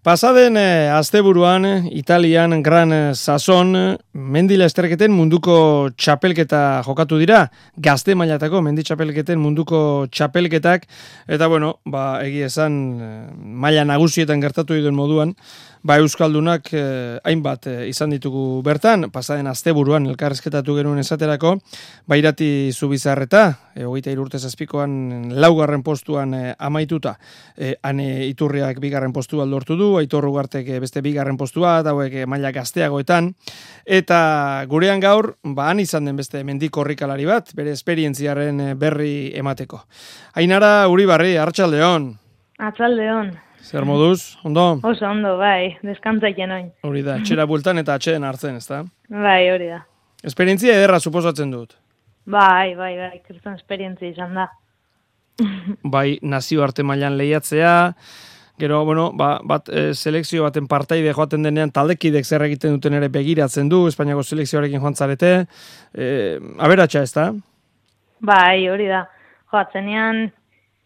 Pasaden asteburuan Italian Gran Sason mendi lasterketen munduko txapelketa jokatu dira, gazte mailatako mendi txapelketen munduko txapelketak, eta egia esan maila nagusietan gertatu duen moduan, Euskaldunak hainbat izan ditugu bertan, pasaden asteburuan elkarrezketatu genuen esaterako, Irati Zubizarreta, 23 urte zazpikoan laugarren postuan amaituta, Ane Iturriak bigarren postua lortu du, Aitor Ugartek beste bigarren postua, eta hauek maila gazteagoetan, eta gurean gaur, han izan den beste mendi korrikalari bat, bere esperientziaren berri emateko. Ainara Uribarri, Arratsaldeon. Arratsaldeon. Zer moduz, ondo? Oso ondo, bai, deskantzaiken oin. Hori da, etxera bueltan eta atxeden hartzen, ezta? Bai, hori da. Esperientzia ederra suposatzen dut. Bai, kriston esperientzia izan da. Bai, nazioarte mailan lehiatzea, gero, selekzio baten partaide joaten denean taldekidek zer egiten duten ere begiratzen du, Espainiako selekzioarekin joan zarete, aberatsa ez da? Bai, hori da. Joatzenean,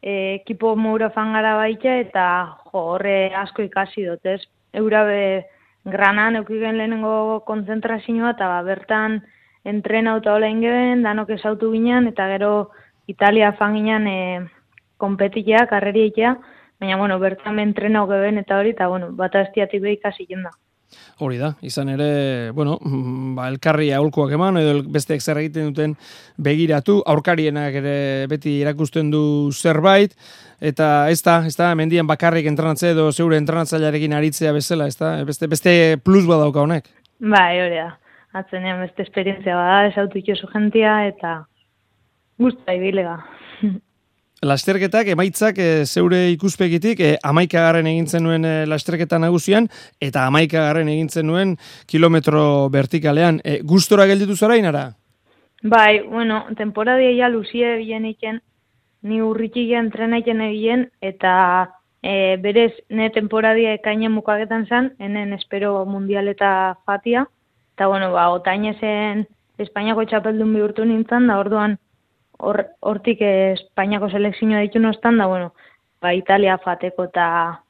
ekipo moura fangara baita, eta horre asko ikasi dut, ez? Eurabe granan eukigen lehenengo konzentrazioa, eta bertan entrenauta hola ingeben, danok esautu ginen, eta gero Italia fanginan kompetitea, karreriaitea, baina, bertan entrenau geben eta hori, eta, bata estiatik behi ikasi jenda. Hori da, izan ere, elkarri aholkuak eman, edo besteek zer egiten duten begiratu, aurkarienak ere beti erakusten du zerbait, eta ez da, mendian bakarrik entrenatze edo zeure entrenatzailearekin aritzea bezala, ez da, beste plus badauka honek. Bai, hori da, atzenean beste esperientzia bada, esautu itxosu jentia, eta guztai bilega. Lasterketak, emaitzak zeure ikuspegitik 11. egintzen nuen lasterketa nagusian eta 11. egintzen nuen kilometro vertikalean. Gustora gelditu zara inara? Bai, temporadia ja luzie bilen iken, ni urritxik entrenaiten egien, eta berez ne temporadia ekainen mukaketan zan, enen espero mundial eta fatia, eta otainezen Espainiako txapeldun bihurtu nintzen, da orduan hortik Espainiako selekzioa ditu nostan, da, Italia fateko, eta,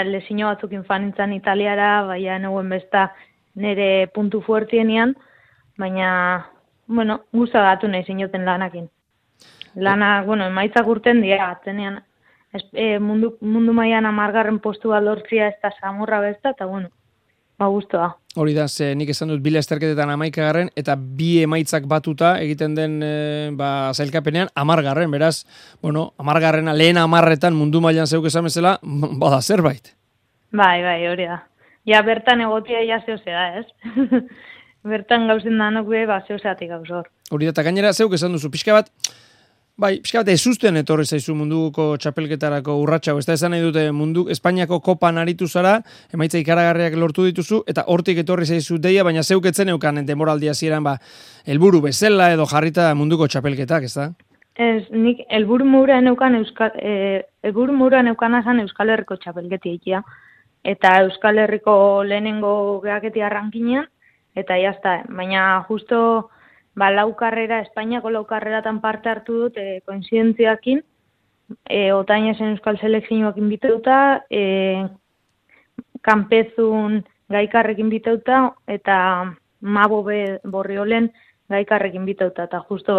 lezino batzukin fanintzan Italiara, neuen besta nire puntu fuertienian, baina, guztagatu nahi zinoten lanakin. Lana, emaitzak urten dira, atzenean, mundu mailan 10. postua lortzia ez da samurra besta, eta, guztua. Hori da, nik esan dut 2 lasterketetan 11. eta 2 emaitzak batuta egiten den zailkapenean 10. Beraz, 10. lehen 10etan mundu mailan zeuk esan bezala, bada zerbait. Bai, hori da. Ja, bertan egotia ja zehozea, ez? Bertan gauzen danok zehozeatik gauzor. Hori da, eta gainera zeuk esan duzu, pixka bat ezusten etorri zaizu munduko txapelketarako urratxau. Ez da esan nahi dute Espainiako kopan aritu zara, emaitza ikaragarriak lortu dituzu, eta hortik etorri zaizu deia, baina zeuk etzen eukan demoraldia zieran helburu bezala edo jarrita munduko txapelketak, ez da? Ez, nik helburu moura neukan azan Euskal Herriko txapelketi egitea. Eta Euskal Herriko lehenengo gehaketia rankinean, eta jazta, baina justo laukarrera, Espainiako laukarreratan parte hartu dut, koinzidentziakin, otainezen Euskal Selekzioakin biteuta, kanpezun gaikarrekin biteuta, eta Mabo Borriolen gaikarrekin biteuta, eta justo,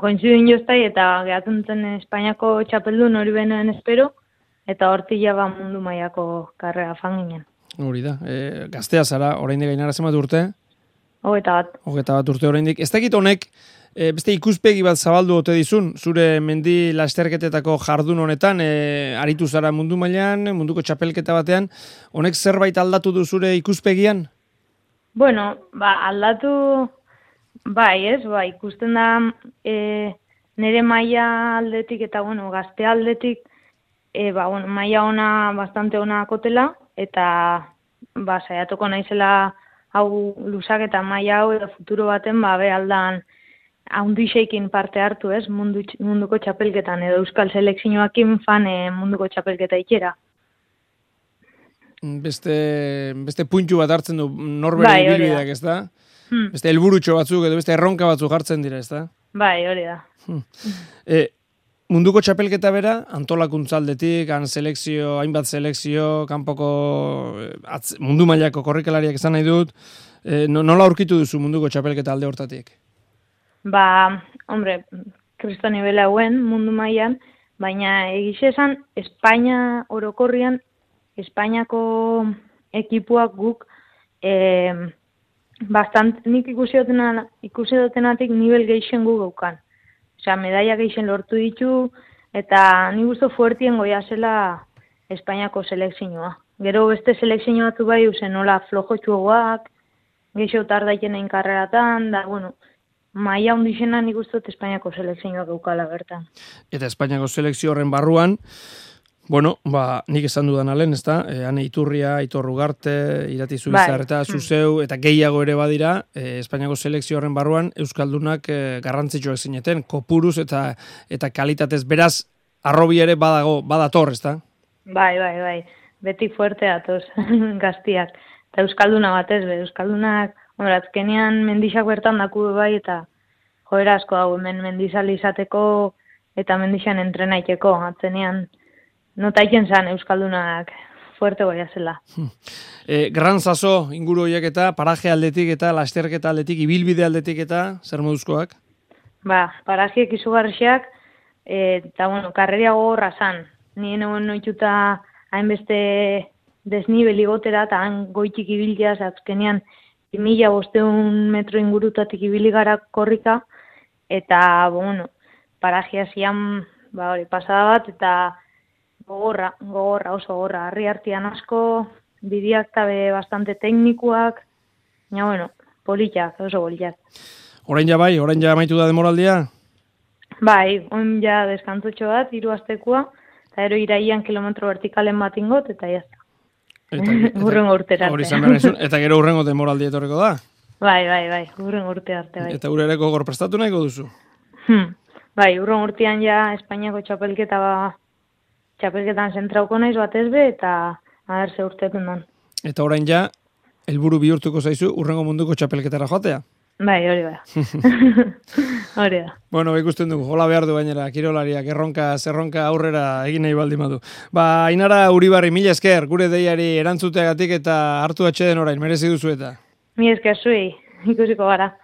koinzidin joztai, eta gehatzen zen Espainiako txapeldun hori benoen espero, eta hortila mundu mailako karrera fanginen. Hori da, gaztea zara, oraindik Ainara zenbat urte? 21 urte oraindik. Ez dakit honek, beste ikuspegi bat zabaldu ote dizun, zure mendi lasterketetako jardun honetan, aritu zara mundu mailan, munduko txapelketa batean, honek zerbait aldatu du zure ikuspegian? Aldatu, ez, ikusten da nire maila aldetik eta, gazte aldetik, maila ona, bastante ona kotela, eta, saiatuko naizela hau lusak eta maila hau edo futuro baten aldan haundixeikin parte hartu, ez, munduko txapelketan edo Euskal Selekzioakin fan munduko txapelketa ikera. Beste puntu bat hartzen du norbere ibilbideak, ez da? Beste helburutxo batzuk edo beste erronka batzuk jartzen dira, ez da? Bai, hori da. munduko txapelketa bera, antolakuntza aldetik, hainbat selekzio, kanpoko mundu mailako korrikalariak izan nahi dut, nola aurkitu duzu munduko txapelketa alde hortatik? Hombre, kristo nivela hauen mundu mailan, baina egixe esan, Espainia orokorrian, Espainiako ekipuak guk nik ikusi dutenatik nivel geixen gu gaukan. Osea, medaia geixen lortu ditu, eta nik uste fuertien goia zela Espainiako selekzioa. Gero beste selekzio batu bai, nola flojotxuagoak, geixo tardaiten egin karreratan, da, bueno, maia hundixena nik uste dut Espainiako selekzioa gaukala bertan. Eta Espainiako selekzio horren barruan, bueno, nik esan dudan alen, ezta? Ane Iturria, Aitor Ugarte, Irati Zubizarreta, Zuzeu, eta gehiago ere badira, Espainiako selekzio horren barruan, Euskaldunak garrantzitsuak zineten, kopuruz eta kalitatez, beraz, arrobi ere badator, ezta? Bai, beti fuerte atoz, gaztiak. Eta Euskalduna batez, Euskaldunak, azkenean mendixak bertan daku bai, eta joera asko dago, hemen mendizali izateko, eta mendixan entrenaiteko, atzenean, notaiken zan Euskaldunak fuerte goia zela. Gran Saso inguru horiek eta paraje aldetik eta lasterketa aldetik, ibilbide aldetik eta zer moduzkoak? Parajeek izugarriak eta bueno, karreria gogorra zan. Nien egon noituta hainbeste desnibeli gotera eta han goitik ibilteaz azkenean 1500 metro ingurutatik ibili gara korrika eta bueno, parajea zian pasada bat eta gogorra, oso gogorra, harri hartian asko, bidiak tabe bastante teknikuak, bueno, oso politak. Orain ja amaitu da demoraldia? Bai, orain ja deskantutxo bat, 3 astekoa, eta ero iraian kilometro vertikalen bat ingot, eta jazta. Urrengo urtera arte. Eta gero urrengo demoraldia etorreko da? Bai, urrengo urte arte, bai. Eta urereko gogor prestatu nahiko duzu? Bai, urrengo urtean ja Espainiako txapelketan zentrauko naiz batez be, eta aderze urtetun dan. Eta orain ja, helburu bihurtuko zaizu urrengo munduko txapelketara joatea? Bai, hori da. Hori da. Bueno, ikusten dugu, hola behar du gainera, kirolariak, zerronka aurrera egin nahi baldin badu. Ainara Uribarri, mila esker, gure deiari erantzuteagatik eta hartu atxeden orain, merezi duzu eta. Mila esker zuei, ikusiko gara.